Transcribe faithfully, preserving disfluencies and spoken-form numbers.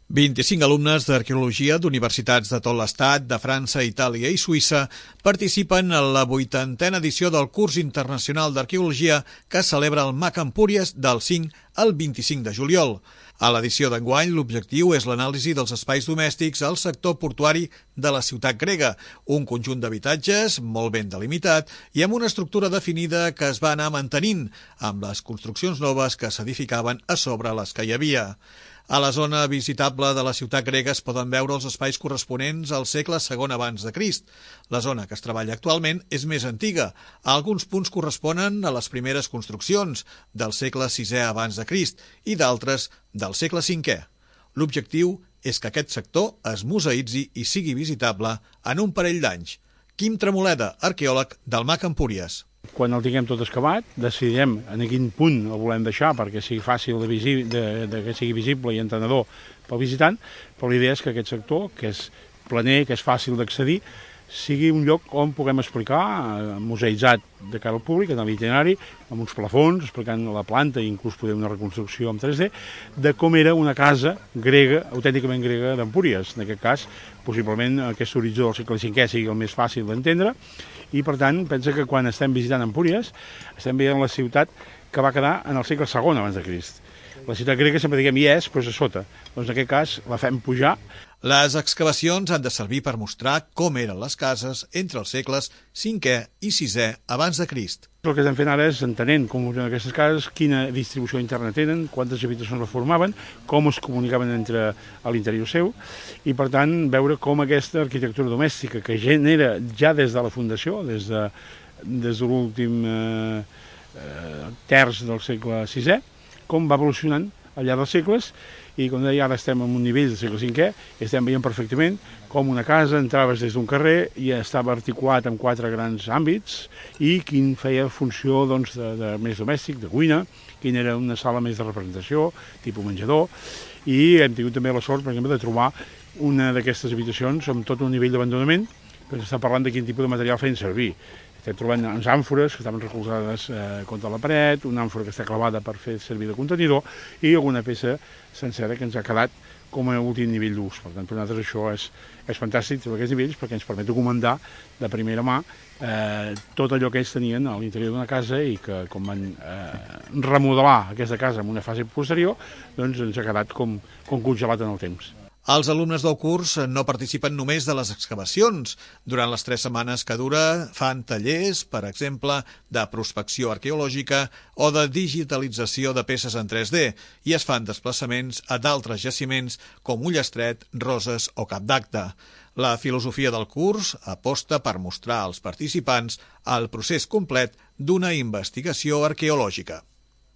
vint-i-cinc alumnes d'arqueologia d'universitats de tot l'Estat, de França, Itàlia i Suïssa participen en la vuitantena edició del curs internacional d'arqueologia que celebra el MAC Empúries del cinc al vint-i-cinc de juliol. A l'edició d'enguany, l'objectiu és l'anàlisi dels espais domèstics al sector portuari de la ciutat grega, un conjunt d'habitatges molt ben delimitat i amb una estructura definida que es va anar mantenint, amb les construccions noves que s'edificaven a sobre les que hi havia. A la zona visitable de la ciutat grega es poden veure els espais corresponents al segle segon abans de Crist. La zona que es treballa actualment és més antiga. Alguns punts corresponen a les primeres construccions del segle sisè abans de Crist i d'altres del segle cinquè. L'objectiu és que aquest sector es museïtzi i sigui visitable en un parell d'anys. Quim Tremoleda, arqueòleg del MAC Empúries. Quan el tinguem tot excavat, decidirem en quin punt el volem deixar perquè sigui fàcil de, visi de, de que sigui visible i entenedor pel visitant, però la idea és que aquest sector, que és planer, que és fàcil d'accedir, sigui un lloc on puguem explicar, eh, museïtzat de cara al públic, en l'itinerari, amb uns plafons, explicant la planta i inclús poder una reconstrucció en tres D, de com era una casa grega, autènticament grega d'Empúries. En aquest cas, possiblement aquest horitzó del segle cinquè sigui el més fàcil d'entendre, i per tant pensa que quan estem visitant Empúries estem veient la ciutat que va quedar en el segle segon abans de Crist. La ciutat grega sempre diguem hi és, però és a sota. Doncs en aquest cas la fem pujar. Les excavacions han de servir per mostrar com eren les cases entre els segles cinquè i sisè abans de Crist. El que estem fent ara és entenent com funcionen aquestes cases, quina distribució interna tenen, quantes habitacions la formaven, com es comunicaven entre a l'interior seu, i per tant veure com aquesta arquitectura domèstica que genera ja des de la fundació, des de, des de l'últim eh, eh, terç del segle sisè, com va evolucionant al llarg dels segles, i com deia, ara estem en un nivell del segle cinquè i estem veient perfectament com una casa entraves des d'un carrer i estava articulat en quatre grans àmbits i quin feia funció doncs, de, de més domèstic, de cuina, quina era una sala més de representació, tipus menjador, i hem tingut també la sort, per exemple, de trobar una d'aquestes habitacions amb tot un nivell d'abandonament, que està parlant de quin tipus de material feien servir. Estem trobant uns àmfores que estaven recolzades eh, contra la paret, una àmfora que està clavada per fer servir de contenidor i alguna peça sencera que ens ha quedat com a últim nivell d'ús. Per tant, per nosaltres això és, és fantàstic, trobar aquests nivells, perquè ens permet documentar de primera mà eh, tot allò que ells tenien a l'interior d'una casa i que, com van eh, remodelar aquesta casa en una fase posterior, doncs ens ha quedat com, com congelat en el temps. Els alumnes del curs no participen només de les excavacions. Durant les tres setmanes que dura fan tallers, per exemple, de prospecció arqueològica o de digitalització de peces en tres D i es fan desplaçaments a d'altres jaciments com Ullastret, Roses o Cap d'Acte. La filosofia del curs aposta per mostrar als participants el procés complet d'una investigació arqueològica.